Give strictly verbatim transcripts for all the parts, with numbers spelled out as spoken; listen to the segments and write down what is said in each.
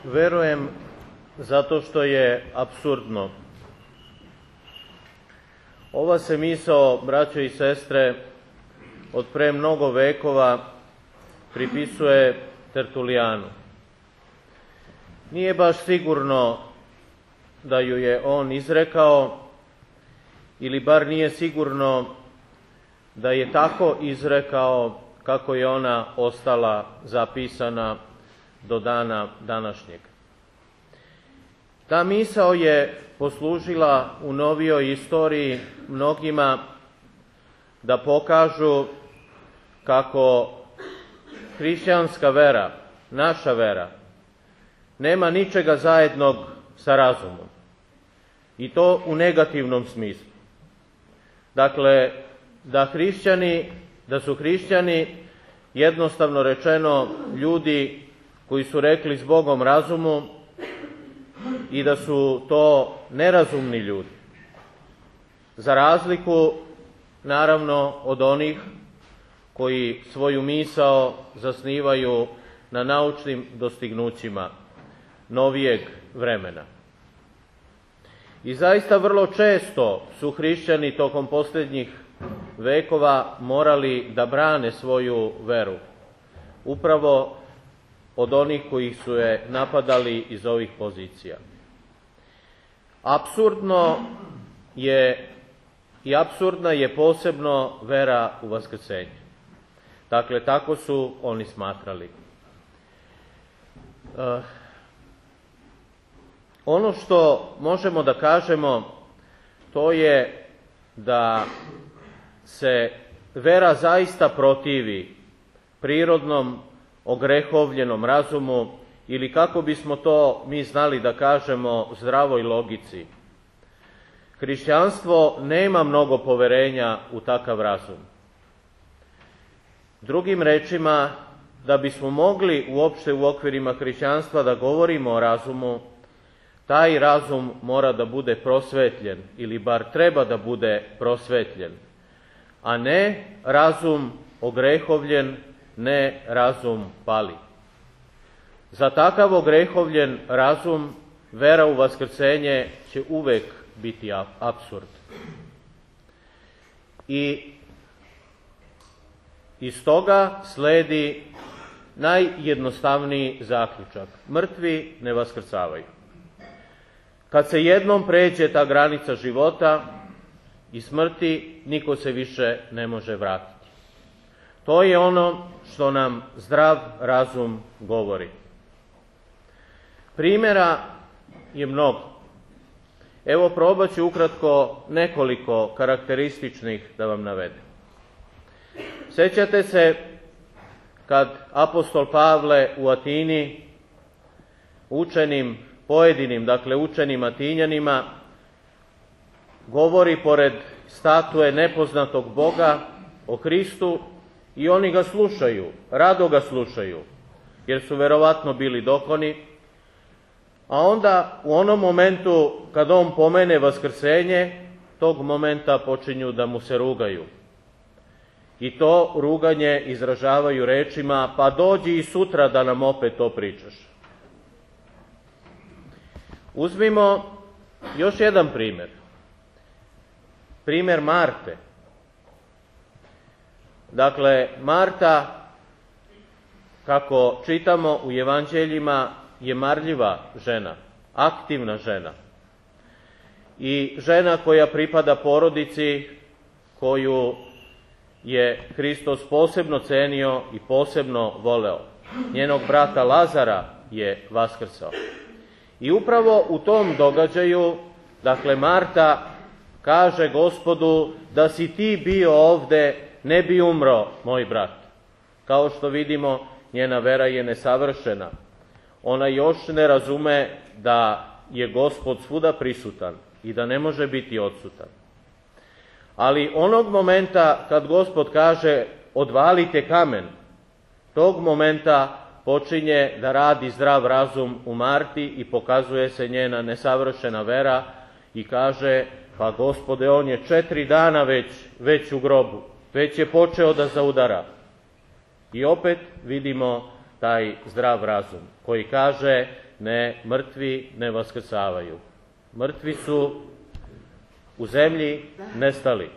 Verujem zato što je apsurdno. Ova se misao, braćo i sestre, od pre mnogo vekova pripisuje Tertulijanu. Nije baš sigurno da ju je on izrekao, ili bar nije sigurno da je tako izrekao kako je ona ostala zapisana do dana današnjeg. Ta misao je poslužila u novijoj istoriji mnogima da pokažu kako hrišćanska vera, naša vera, nema ničega zajednog sa razumom. I to u negativnom smislu. Dakle, da hrišćani, da su hrišćani jednostavno rečeno ljudi koji su rekli s Bogom razumu i da su to nerazumni ljudi. Za razliku, naravno, od onih koji svoju misao zasnivaju na naučnim dostignućima novijeg vremena. I zaista vrlo često su hrišćani tokom posljednjih vekova morali da brane svoju veru, upravo od onih koji su je napadali iz ovih pozicija. Apsurdno je i apsurdna je posebno vera u vaskrsenje. Dakle, tako su oni smatrali. E, ono što možemo da kažemo, to je da se vera zaista protivi prirodnom ogrehovljenom razumu, ili kako bismo to mi znali da kažemo, zdravoj logici. Hrišćanstvo nema mnogo poverenja u takav razum. Drugim rečima, da bismo mogli uopšte u okvirima hrišćanstva da govorimo o razumu, taj razum mora da bude prosvetljen, ili bar treba da bude prosvetljen, a ne razum ogrehovljen, ne razum pali. Za takav ogrehovljen razum vera u vaskrsenje će uvek biti apsurd. I iz toga sledi najjednostavniji zaključak. Mrtvi ne vaskrcavaju. Kad se jednom pređe ta granica života i smrti, niko se više ne može vratiti. To je ono što nam zdrav razum govori. Primjera je mnogo. Evo, probat ću ukratko nekoliko karakterističnih da vam navedem. Sećate se kad apostol Pavle u Atini učenim, pojedinim, dakle učenim Atinjanima, govori pored statue nepoznatog Boga o Hristu i oni ga slušaju, rado ga slušaju, jer su verovatno bili dokoni, a onda u onom momentu kad on pomene vaskrsenje, tog momenta počinju da mu se rugaju. I to ruganje izražavaju rečima: pa dođi i sutra da nam opet to pričaš. Uzmimo još jedan primjer. Primjer Marte. Dakle, Marta, kako čitamo u evanđeljima, je marljiva žena, aktivna žena. I žena koja pripada porodici koju je Hristos posebno cenio i posebno voleo. Njenog brata Lazara je vaskrsao. I upravo u tom događaju, dakle, Marta kaže Gospodu: da si ti bio ovde, ne bi umro moj brat. Kao što vidimo, njena vera je nesavršena. Ona još ne razume da je Gospod svuda prisutan i da ne može biti odsutan. Ali onog momenta kad Gospod kaže: odvalite kamen, tog momenta počinje da radi zdrav razum u Marti i pokazuje se njena nesavršena vera i kaže: pa Gospode, on je četiri dana već, već u grobu, već je počeo da zaudara. I opet vidimo taj zdrav razum koji kaže: ne, mrtvi ne vaskrsavaju. Mrtvi su u zemlji nestali.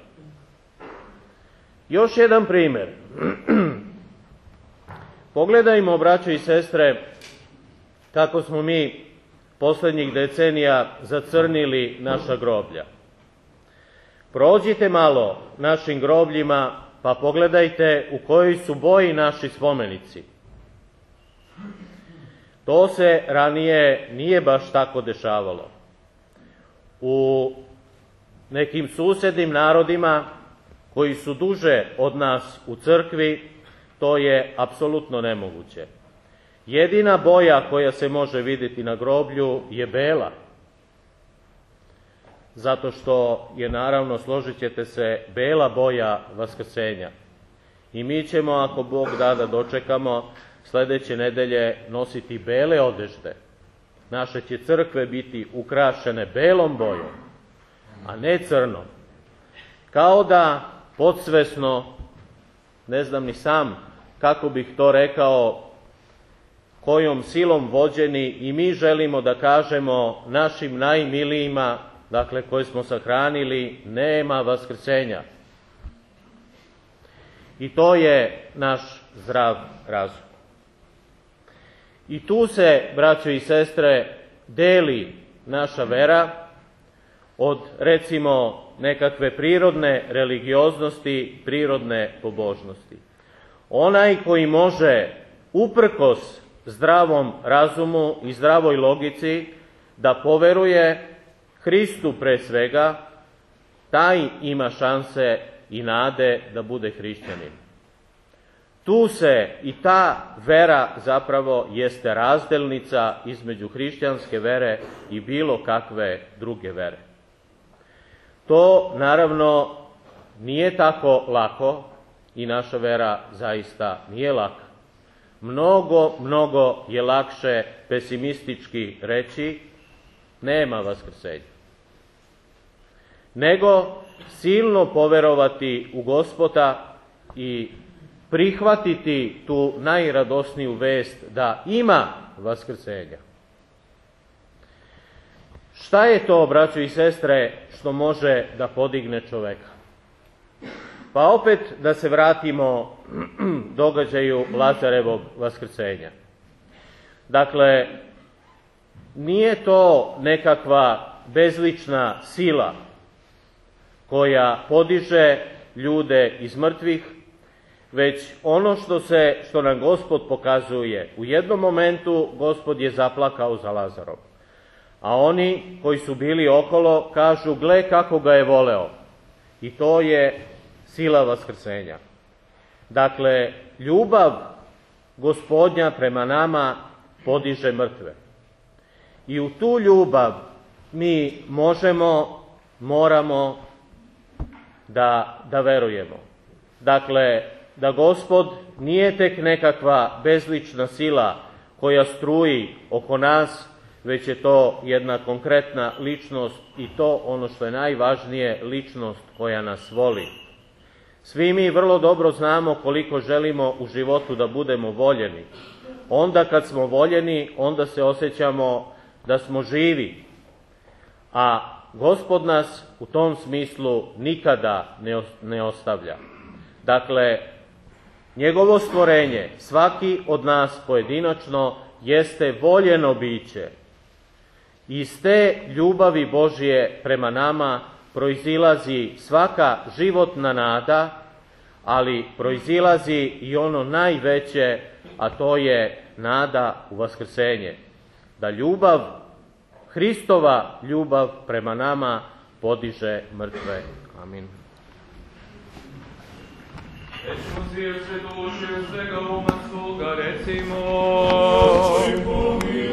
Još jedan primjer. Pogledajmo, braćo i sestre, kako smo mi posljednjih decenija zacrnili naša groblja. Prođite malo našim grobljima, pa pogledajte u kojoj su boji naši spomenici. To se ranije nije baš tako dešavalo. U nekim susednim narodima koji su duže od nas u crkvi, to je apsolutno nemoguće. Jedina boja koja se može vidjeti na groblju je bela. Zato što je, naravno, složit ćete se, bela boja vaskrsenja. I mi ćemo, ako Bog da da dočekamo, sljedeće nedelje nositi bele odežde. Naše će crkve biti ukrašene belom bojom, a ne crnom. Kao da podsvesno, ne znam ni sam kako bih to rekao, kojom silom vođeni i mi želimo da kažemo našim najmilijima, dakle koje smo sahranili, nema vaskrsenja. I to je naš zdrav razum. I tu se, braćo i sestre, deli naša vera od, recimo, nekakve prirodne religioznosti, prirodne pobožnosti. Onaj koji može, uprkos zdravom razumu i zdravoj logici, da poveruje Hristu pre svega, taj ima šanse i nade da bude hrišćanin. Tu se i ta vera zapravo jeste razdelnica između hrišćanske vere i bilo kakve druge vere. To, naravno, nije tako lako i naša vera zaista nije laka. Mnogo, mnogo je lakše pesimistički reći nema vaskrsenja, nego silno poverovati u Gospoda i prihvatiti tu najradosniju vest da ima vaskrsenja. Šta je to, braćo i sestre, što može da podigne čoveka? Pa opet da se vratimo događaju Lazarevog vaskrsenja. Dakle, nije to nekakva bezlična sila koja podiže ljude iz mrtvih, već ono što se, što nam Gospod pokazuje. U jednom momentu Gospod je zaplakao za Lazarom, a oni koji su bili okolo kažu, gle kako ga je voleo. I to je sila vaskrsenja. Dakle, ljubav Gospodnja prema nama podiže mrtve. I u tu ljubav mi možemo, moramo da, da verujemo. Dakle, da Gospod nije tek nekakva bezlična sila koja struji oko nas, već je to jedna konkretna ličnost i to ono što je najvažnije, ličnost koja nas voli. Svi mi vrlo dobro znamo koliko želimo u životu da budemo voljeni. Onda kad smo voljeni, onda se osjećamo da smo živi. A Gospod nas u tom smislu nikada ne ostavlja. Dakle, njegovo stvorenje, svaki od nas pojedinačno, jeste voljeno biće. Iz te ljubavi Božje prema nama proizilazi svaka životna nada, ali proizilazi i ono najveće, a to je nada u vaskrsenje. Da ljubav, Hristova ljubav prema nama podiže mrtve. Amin. Recimo zvijeće duše svega uma svoga, recimo